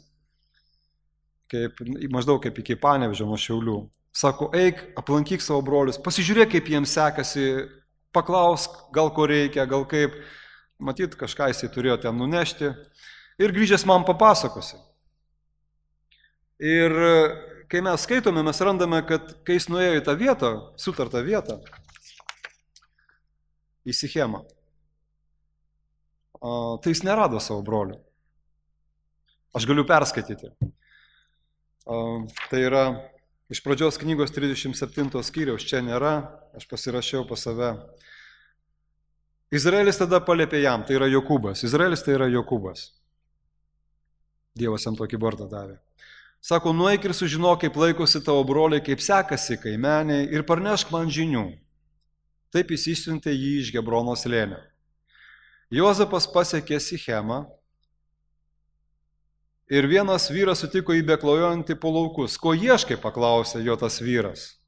maždaug kaip iki Panevėžio nuo Šiaulių. Sako, eik, aplankyk savo brolius, pasižiūrėk, kaip jiems sekasi, paklausk, gal ko reikia, gal kaip, matyt, kažką jisai turėjo ten nunešti ir grįžęs man papasakosi. Ir kai mes skaitome, mes randame, kad kai jis nuėjo į tą vietą, sutartą vietą, į Sichemą, tai jis nerado savo brolių. Aš galiu perskaityti. Tai yra iš pradžios knygos 37 skyriaus, čia nėra, aš pasirašiau pas save. Izraelis tada paliepė jam, tai yra Jokūbas. Izraelis tai yra Jokūbas. Dievas jam tokį vardą davė. Sako, nueik ir sužinok, kaip laikosi tavo broliai, kaip sekasi kaimeniai ir parnešk man žinių. Taip jis išsiuntė jį iš Gebrono slėnio. Juozapas pasiekė Sichemą ir vienas vyras sutiko jį beklajojantį po laukus. Ko ieškai, paklausė jo tas vyras.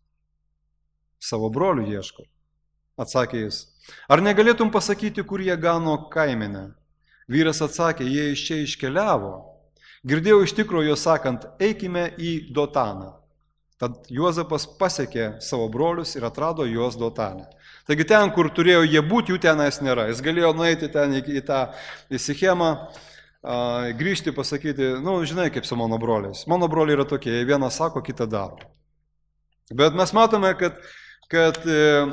Savo brolių ieško, atsakė jis. Ar negalėtum pasakyti, kur jie gano kaimenę? Vyras atsakė, jie iš čia iškeliavo. Girdėjau iš tikro jo sakant, eikime į Dotaną. Tad Juozapas pasiekė savo brolius ir atrado juos Dotane. Taigi ten, kur turėjo jie būti, jų tenais nėra. Jis galėjo nueiti ten į Sichemą, grįžti, pasakyti, žinai, kaip su mano broliais. Mano broliai yra tokie, vienas sako, kitą daro. Bet mes matome, kad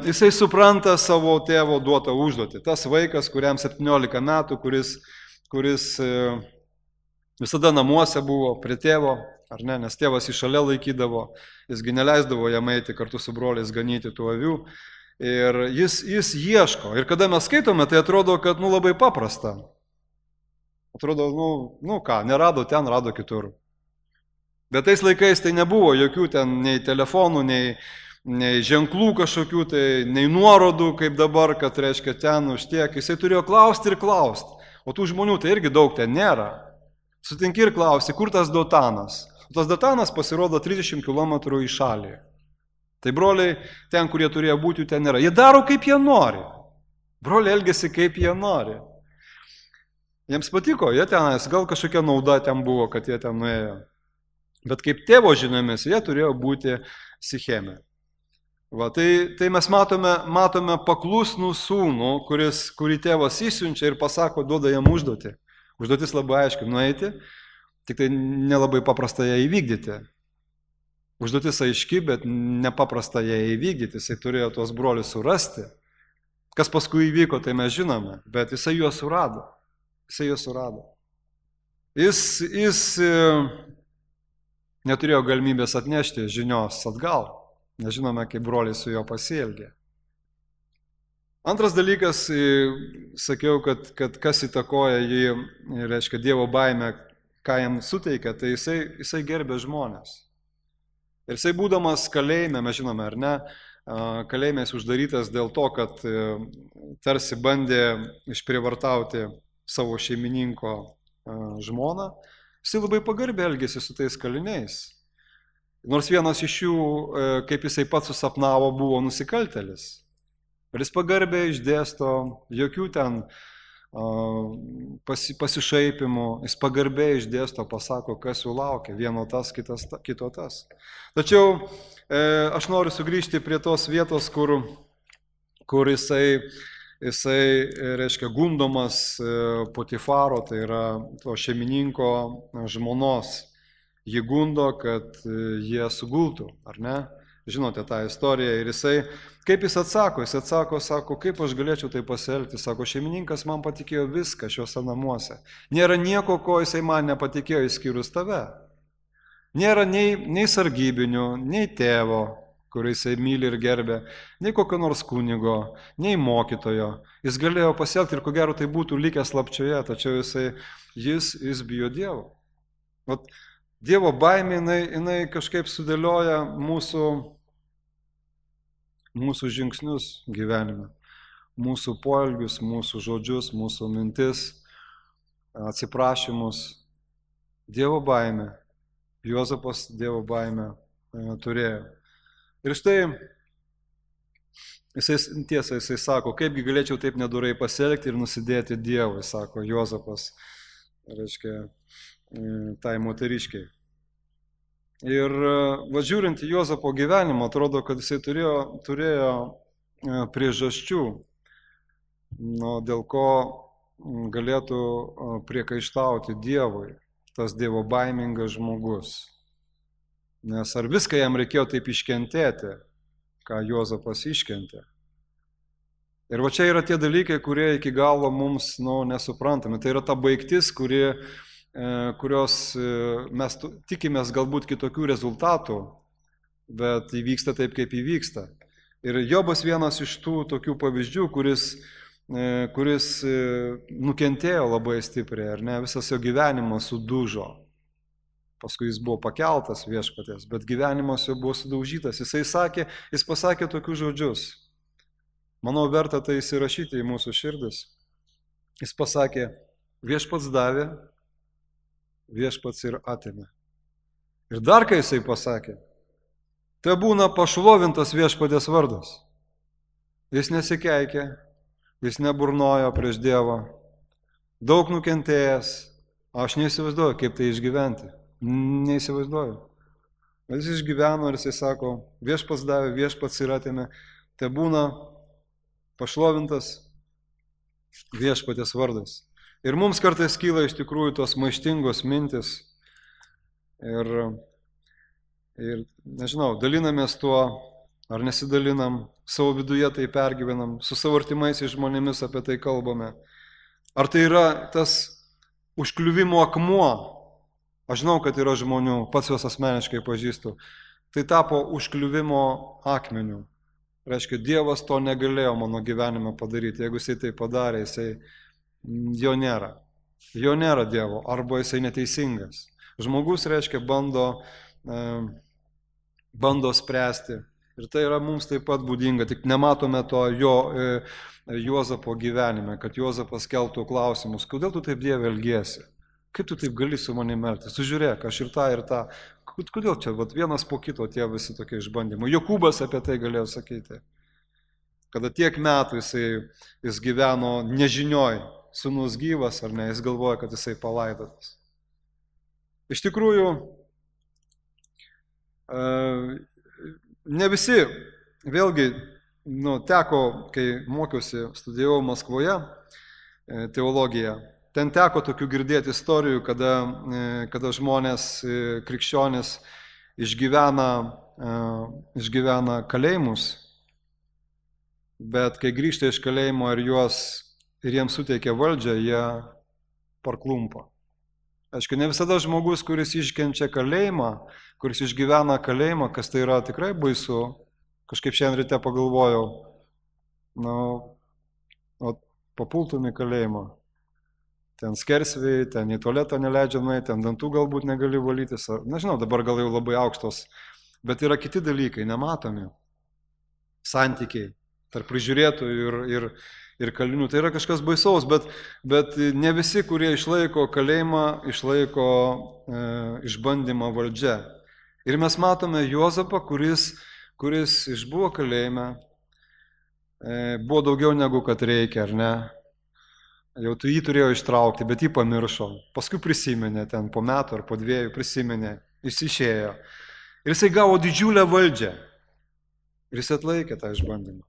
jisai supranta savo tėvo duotą užduotį. Tas vaikas, kuriam 17 metų, kuris visada namuose buvo prie tėvo, ar ne, nes tėvas jį šalia laikydavo, jisgi neleisdavo jam eiti kartu su broliais ganyti tų avių. Ir jis ieško. Ir kada mes skaitome, tai atrodo, kad labai paprasta. Atrodo, ką, nerado ten, rado kitur. Bet tais laikais tai nebuvo jokių ten nei telefonų, nei ženklų kažkokių, tai nei nuorodų, kaip dabar, kad reiškia ten už tiek. Jisai turėjo klausti ir klausti. O tų žmonių tai irgi daug ten nėra. Sutinki ir klausi, kur tas Dotanas. Tas Dotanas pasirodo 30 km į šalį. Tai broliai ten, kurie turėjo būti, jų ten nėra. Jie daro, kaip jie nori. Broliai elgėsi, kaip jie nori. Jiems patiko, jie tenais, gal kažkokia nauda ten buvo, kad jie ten nuėjo. Bet kaip tėvo žiniomis, jie turėjo būti Sicheme. Tai mes matome paklusnų sūnų, kurį tėvas įsiunčia ir pasako, duoda jam užduotį. Užduotis labai aiškiai nueiti, tik tai nelabai paprasta ją įvykdyti. Užduotis aiški, bet nepaprasta ją įvykdyti. Jisai turėjo tuos brolius surasti. Kas paskui įvyko, tai mes žinome, bet jisai juos surado. Jis neturėjo galimybės atnešti žinios atgal. Nežinome, kaip broliai su juo pasielgė. Antras dalykas, sakiau, kad kas įtakoja jį, reiškia Dievo baimę, ką jam suteikia, tai jisai gerbė žmonės. Ir jisai būdamas kalėjime, mes žinome, ar ne, kalėjime jis uždarytas dėl to, kad tarsi bandė išprievartauti savo šeimininko žmoną, jisai labai pagarbiai elgėsi su tais kaliniais. Nors vienas iš jų, kaip jisai pats susapnavo, buvo nusikaltelis. Ir jis pagarbiai išdėsto, jokių ten pasišaipimų, jis pagarbiai išdėsto, pasako, kas jų laukia, vieno tas, kito tas. Tačiau aš noriu sugrįžti prie tos vietos, kur jisai jisai, reiškia, gundomas Potifaro, tai yra to šeimininko žmonos. Jį gundo, kad jie sugultų, ar ne? Žinote tą istoriją. Ir jisai, kaip jis atsako? Jis atsako, sako, kaip aš galėčiau tai pasielgti. Sako, šeimininkas man patikėjo viską šiuose namuose. Nėra nieko, ko jisai man nepatikėjo, išskyrus tave. Nėra nei sargybinių, nei tėvo, kurį jisai myli ir gerbė, nei kokio nors kunigo, nei mokytojo. Jis galėjo pasielgti ir ko gero tai būtų likęs slapčioje, tačiau jis bijo Dievo. Vat, Dievo baimė, jinai kažkaip sudėlioja mūsų žingsnius gyvenime, mūsų poelgius, mūsų žodžius, mūsų mintis, atsiprašymus. Dievo baimė, Juozapas Dievo baimę turėjo. Ir štai, jisai sako, kaipgi galėčiau taip nedorai pasielgti ir nusidėti Dievui, sako Juozapas, reiškia, tai moteriškiai. Ir važiuojant į Juozapo gyvenimą, atrodo, kad jisai turėjo priežasčių, dėl ko galėtų priekaištauti Dievui, tas Dievo baimingas žmogus. Nes ar viską jam reikėjo taip iškentėti, ką Juozapas iškentė. Ir va čia yra tie dalykai, kurie iki galo mums nesuprantame. Tai yra ta baigtis, kurios mes tikimės galbūt kitokių rezultatų, bet įvyksta taip, kaip įvyksta. Ir Jobas vienas iš tų tokių pavyzdžių, kuris nukentėjo labai stipriai, ar ne, visas jo gyvenimas sudužo. Paskui jis buvo pakeltas viešpaties, bet gyvenimas jo buvo sudaužytas. Jis pasakė tokius žodžius. Manau, verta tai įsirašyti į mūsų širdis. Jis pasakė, viešpats davė, viešpats ir atėmė. Ir dar kai jisai pasakė, tai būna pašlovintas viešpatės vardas. Jis nesikeikė, jis neburnojo prieš Dievą, daug nukentėjęs, aš neįsivaizduoju, kaip tai išgyventi. Neįsivaizduoju. Jis išgyveno ir jisai sako, viešpats davė, viešpats ir atėmė, tai būna pašlovintas viešpatės vardas. Ir mums kartais kyla iš tikrųjų tos maištingos mintis ir nežinau, dalinamės tuo ar nesidalinam, savo viduje tai pergyvenam, su savo artimaisiais žmonėmis apie tai kalbame. Ar tai yra tas užkliuvimo akmuo? Aš žinau, kad yra žmonių, pats juos asmeniškai pažįstu. Tai tapo užkliuvimo akmeniu. Reiškia, Dievas to negalėjo mano gyvenime padaryti. Jeigu jisai tai padarė, jo nėra. Jo nėra Dievo, arba jisai neteisingas. Žmogus, reiškia, bando spręsti. Ir tai yra mums taip pat būdinga, tik nematome to Juozapo gyvenime, kad Juozapas keltų klausimus. Kodėl tu taip, Dieve, elgiesi? Kaip tu taip gali su manimi elgtis? Sužiūrėk, aš ir tą. Kodėl čia vienas po kito tie visi tokie išbandymai? Jokūbas apie tai galėjo sakyti. Kada tiek metų jis gyveno nežinioj, sūnus gyvas ar ne, jis galvoja, kad jisai palaidotas. Iš tikrųjų, ne visi, vėlgi, teko, kai mokiausi, studijavau Maskvoje teologiją, ten teko tokių girdėti istorijų, kada žmonės, krikščionys išgyvena kalėjimus, bet kai grįžta iš kalėjimo ir jiems suteikia valdžią, jie parklumpa. Aišku, ne visada žmogus, kuris iškenčia kalėjimą, kuris išgyvena kalėjimą, kas tai yra tikrai baisu, kažkaip šiandien ryte pagalvojau, papultum į kalėjimą. Ten skersvėjai, ten į tualetą neleidžia nueiti, ten dantų galbūt negali valytis. Nežinau, dabar gal jau labai aukštos, bet yra kiti dalykai, nematomi. Santykiai tarp prižiūrėtojų ir kalinių. Tai yra kažkas baisaus, bet ne visi, kurie išlaiko kalėjimą, išlaiko išbandymą valdžia. Ir mes matome Juozapą, kuris išbuvo kalėjime, buvo daugiau negu kad reikia, ar ne? Jau tu jį turėjo ištraukti, bet jį pamiršo. Paskui prisiminė, ten po metų ar po 2 prisiminė, jis išėjo. Ir jisai gavo didžiulę valdžią. Ir jis atlaikė tą išbandymą.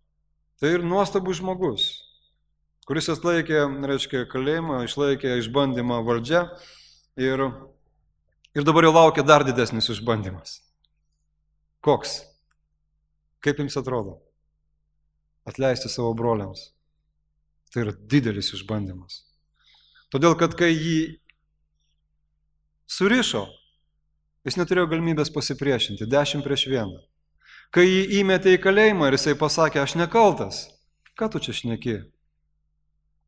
Tai ir nuostabus žmogus. kuris atlaikė, reiškia, kalėjimą, išlaikė išbandymą valdžia ir dabar jau laukia dar didesnis išbandymas. Koks? Kaip jums atrodo? Atleisti savo broliams. Tai yra didelis išbandymas. Todėl, kad kai jį surišo, jis neturėjo galimybės pasipriešinti, 10-1. Kai jį įmetė į kalėjimą ir jisai pasakė, aš nekaltas. Ką tu čia šneki?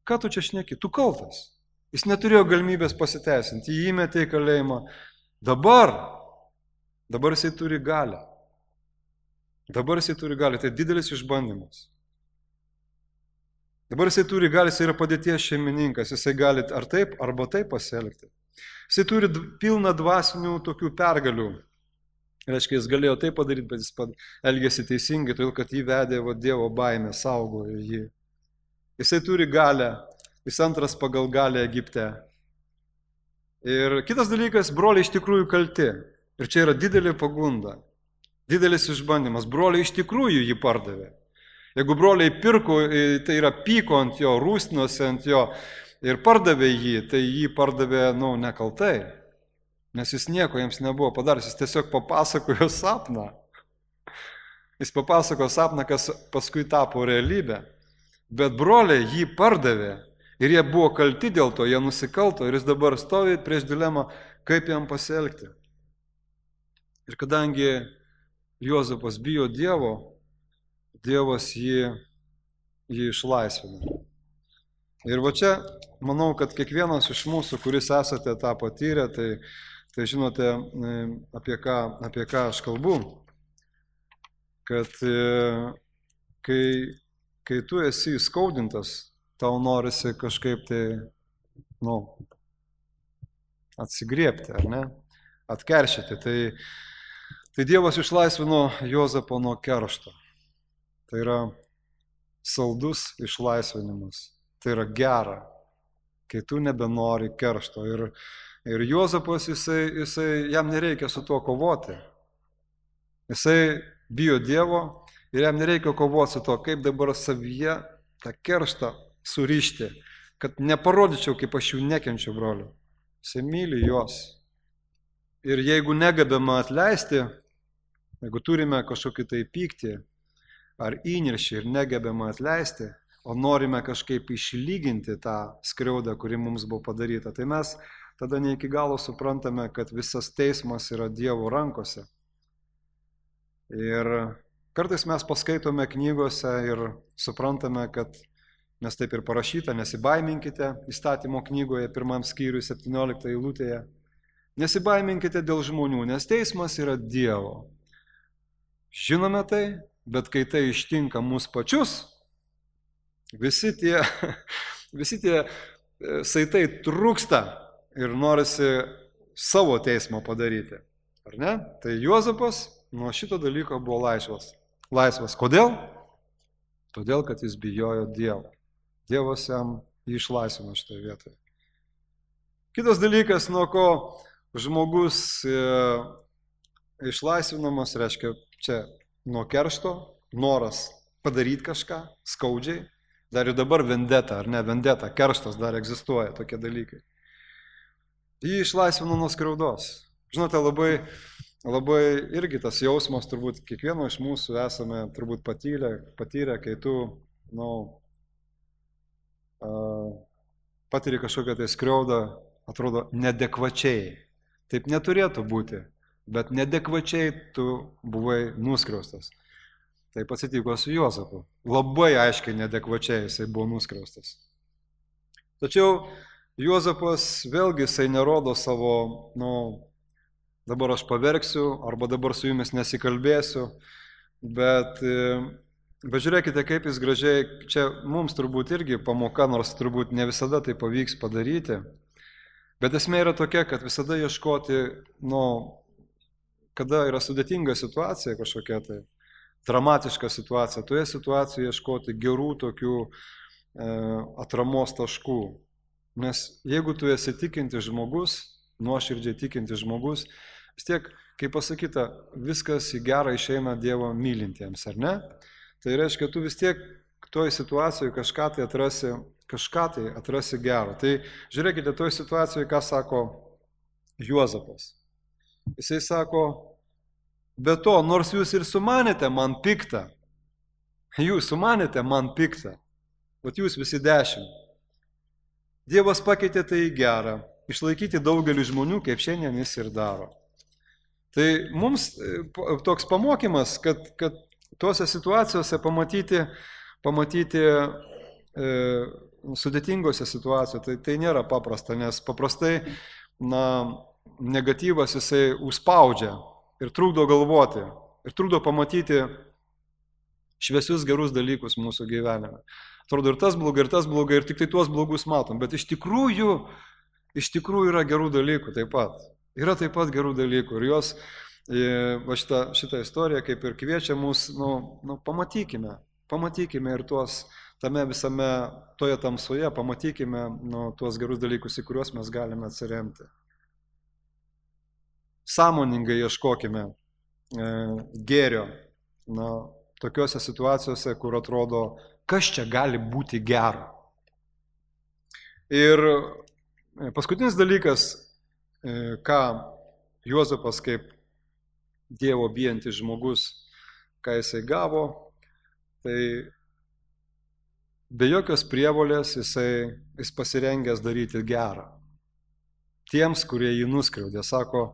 Ką tu čia šneki? Tu kaltas. Jis neturėjo galimybės pasiteisinti, jį įmetė į kalėjimą. Dabar jisai turi galią. Dabar jisai turi galią, tai didelis išbandymas. Dabar jisai turi galią, jisai yra padėties šeimininkas, jisai gali ar taip, arba taip pasielgti. Jisai turi pilną dvasinių tokių pergalių. Reiškia, jis galėjo taip padaryti, bet jis elgėsi teisingai, todėl kad jį vedė Dievo baimė, saugojo jį. Jisai turi galią, jis antras pagal galią Egipte. Ir kitas dalykas, broliai iš tikrųjų kalti. Ir čia yra didelė pagunda, didelis išbandymas. Broliai iš tikrųjų jį pardavė. Jeigu broliai pirko, tai yra pyko ant jo, rūstinosi ant jo ir pardavė jį, tai jį pardavė, nekaltai. Nes jis nieko jiems nebuvo padaręs, jis tiesiog papasakojo sapną. Jis papasakojo sapną, kas paskui tapo realybė. Bet broliai jį pardavė ir jie buvo kalti dėl to, jie nusikalto ir jis dabar stovi prieš dilemą, kaip jam pasielgti. Ir kadangi Juozapas bijo Dievo, Dievas jį išlaisvina. Ir va čia, manau, kad kiekvienas iš mūsų, kuris esate tą patyrę, tai žinote, apie ką aš kalbu. Kad kai tu esi įskaudintas, tau norisi kažkaip tai, atsigriebti, ar ne? Atkeršyti. Tai Dievas išlaisvino Juozapą nuo keršto. Tai yra saldus išlaisvinimas. Tai yra gera, kai tu nebenori keršto. Ir Juozapas, jam nereikia su tuo kovoti. Jisai bijo Dievo ir jam nereikia kovoti su to, kaip dabar savyje tą kerštą surišti, kad neparodyčiau, kaip aš jų nekenčiu, broliu. Jisai myli juos. Ir jeigu negebame atleisti, jeigu turime kažkokį tai pyktį ar įniršį ir negebame atleisti, o norime kažkaip išlyginti tą skriaudą, kuri mums buvo padaryta, tai mes tada ne iki galo suprantame, kad visas teismas yra Dievo rankose. Ir kartais mes paskaitome knygose ir suprantame, kad nes taip ir parašyta, nesibaiminkite įstatymo knygoje, 1 skyriui 17 eilutėje. Nesibaiminkite dėl žmonių, nes teismas yra Dievo. Žinome tai, bet kai tai ištinka mus pačius, visi tie saitai trūksta ir norisi savo teismą padaryti. Ar ne? Tai Juozapas nuo šito dalyko buvo laisvas. Kodėl? Todėl, kad jis bijojo Dievo. Dievas jam jį išlaisvino šitoje vietoje. Kitas dalykas, nuo ko žmogus išlaisvinamas, reiškia čia nuo keršto, noras padaryti kažką skaudžiai. Dar ir dabar vendeta, ar ne vendeta, kerštas dar egzistuoja, tokie dalykai. Jį išlaisvino nuo skriaudos. Žinote, labai irgi tas jausmas, turbūt kiekvieno iš mūsų esame turbūt patyrę, kai tu, patiri kažkokią tai skriaudą, atrodo nedekvačiai. Taip neturėtų būti, bet nedekvačiai tu buvai nuskriaustas. Taip atsitiko su Juozapu. Labai aiškiai nedekvačiai jisai buvo nuskriaustas. Tačiau Juozapas vėlgi jisai nerodo savo, dabar aš paverksiu, arba dabar su jumis nesikalbėsiu, bet žiūrėkite, kaip jis gražiai, čia mums turbūt irgi pamoka, nors turbūt ne visada tai pavyks padaryti, bet esmė yra tokia, kad visada ieškoti, kada yra sudėtinga situacija kažkokia tai, dramatiška situacija, toje situacijoje ieškoti gerų tokių atramos taškų. Nes jeigu tu esi tikintis žmogus, nuoširdžiai tikintis žmogus, vis tiek, kaip pasakyta, viskas į gerą išeina Dievo mylintiems, ar ne? Tai reiškia, tu vis tiek toje situacijoje kažką tai atrasi kažką tai atrasi gero. Tai žiūrėkite, toje situacijoje, ką sako Juozapas. Jisai sako, be to, nors jūs ir sumanėte man piktą, vat jūs visi 10. Dievas pakeitė tai į gerą, išlaikyti daugelį žmonių, kaip šiandien jis ir daro. Tai mums toks pamokymas, kad tuose situacijose pamatyti sudėtingose situacijose, tai nėra paprasta, nes paprastai negatyvas jisai užspaudžia ir trukdo galvoti, ir trukdo pamatyti šviesius gerus dalykus mūsų gyvenime. Atrodo, ir tas blogai, ir tik tai tuos blogus matom, bet iš tikrųjų yra gerų dalykų taip pat. Yra taip pat gerų dalykų ir jos, šitą istoriją kaip ir kviečia mus, pamatykime ir tuos tame visame, toje tamsoje, pamatykime tuos gerus dalykus, į kuriuos mes galime atsiremti. Sąmoningai ieškokime gėrio, tokiuose situacijose, kur atrodo, kas čia gali būti gero. Ir paskutinis dalykas, ką Juozapas kaip Dievo bijantis žmogus, ką jisai gavo, tai be jokios prievolės jis pasirengęs daryti gerą. Tiems, kurie jį nuskriaudė, sako,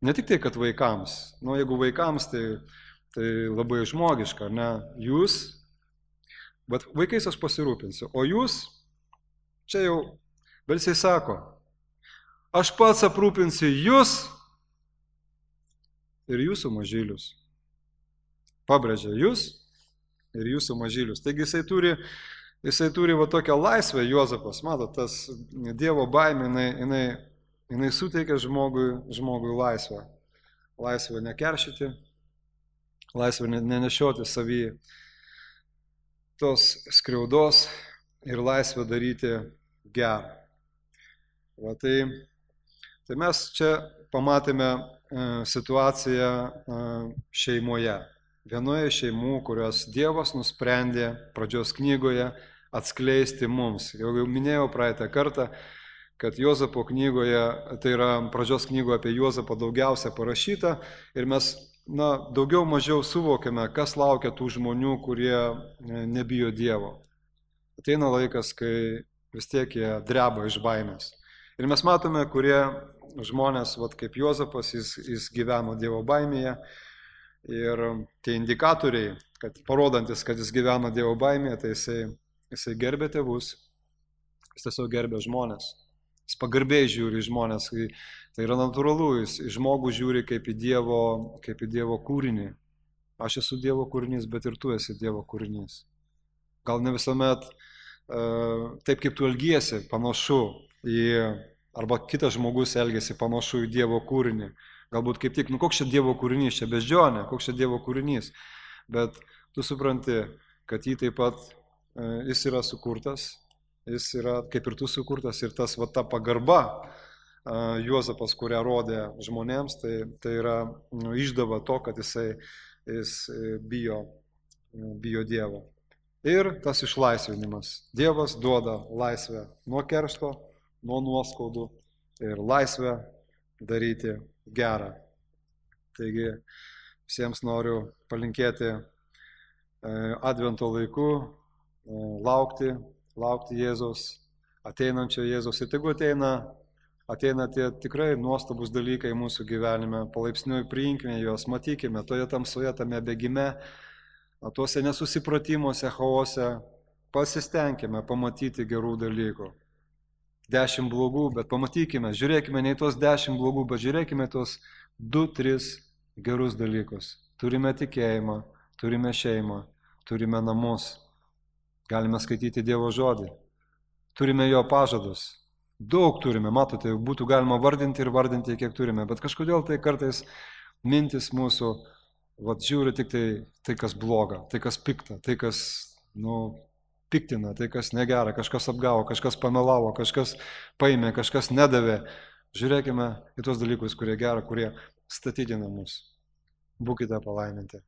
ne tik tai, kad vaikams, jeigu vaikams, tai labai žmogiška, ne, jūs, bet vaikais aš pasirūpinsiu, o jūs, čia jau, bet jisai sako, aš pats aprūpinsiu jūs ir jūsų mažylius. Pabrėžia jūs ir jūsų mažylius. Taigi jisai turi va tokią laisvę, Juozapas, matot, tas Dievo baimė, jinai suteikia žmogui laisvę. Laisvę nekeršyti, laisvę nenešioti savy tos skriaudos ir laisvę daryti gerą. Va, tai mes čia pamatėme situaciją šeimoje. Vienoje šeimų, kurios Dievas nusprendė pradžios knygoje atskleisti mums. Jau minėjau praeitą kartą, kad Juozapo knygoje, tai yra pradžios knygoje apie Juozapą daugiausia parašyta ir mes daugiau mažiau suvokiame, kas laukia tų žmonių, kurie nebijo Dievo. Ateina laikas, kai vis tiek jie dreba iš baimės. Ir mes matome, kurie žmonės, kaip Juozapas, jis gyveno Dievo baimėje. Ir tie indikatoriai, parodantis, kad jis gyveno Dievo baimėje, tai jisai gerbė tėvus, jis tiesiog gerbė žmonės. Jis pagarbiai žiūri į žmonės, tai yra natūralu, jis žmogų žiūri kaip į Dievo kūrinį. Aš esu Dievo kūrinys, bet ir tu esi Dievo kūrinys. Gal ne visuomet taip, kaip tu elgiesi, panašu arba kitas žmogus elgiasi panašu į Dievo kūrinį. Galbūt kaip tik, koks čia Dievo kūrinys, čia beždžionė, koks čia Dievo kūrinys. Bet tu supranti, kad jį taip pat, jis yra sukurtas, jis yra kaip ir tu sukurtas ir ta pagarba Juozapas, kurią rodė žmonėms, tai yra išdava to, kad jis bijo Dievo. Ir tas išlaisvinimas. Dievas duoda laisvę nuo keršto, nuo nuoskaudų ir laisvę daryti gerą. Taigi visiems noriu palinkėti Advento laiku, laukti Jėzaus, ateinančio Jėzaus. Ir tegu ateina tie tikrai nuostabus dalykai mūsų gyvenime, palaipsniui priimkime juos, matykime toje tamsoje, tame bėgime, tuose nesusipratimuose, chaose, pasistengime pamatyti gerų dalykų. 10 blogų, bet pamatykime, žiūrėkime ne į tos 10 blogų, bet žiūrėkime tos 2-3 gerus dalykus. Turime tikėjimą, turime šeimą, turime namus, galime skaityti Dievo žodį, turime jo pažadus. Daug turime, matote, būtų galima vardinti, kiek turime, bet kažkodėl tai kartais mintis mūsų, žiūri tik tai, kas bloga, tai, kas pikta, tai, kas, piktina, tai kas negera, kažkas apgavo, kažkas pamelavo, kažkas paėmė, kažkas nedavė. Žiūrėkime į tos dalykus, kurie gera, kurie statydina mus. Būkite palaiminti.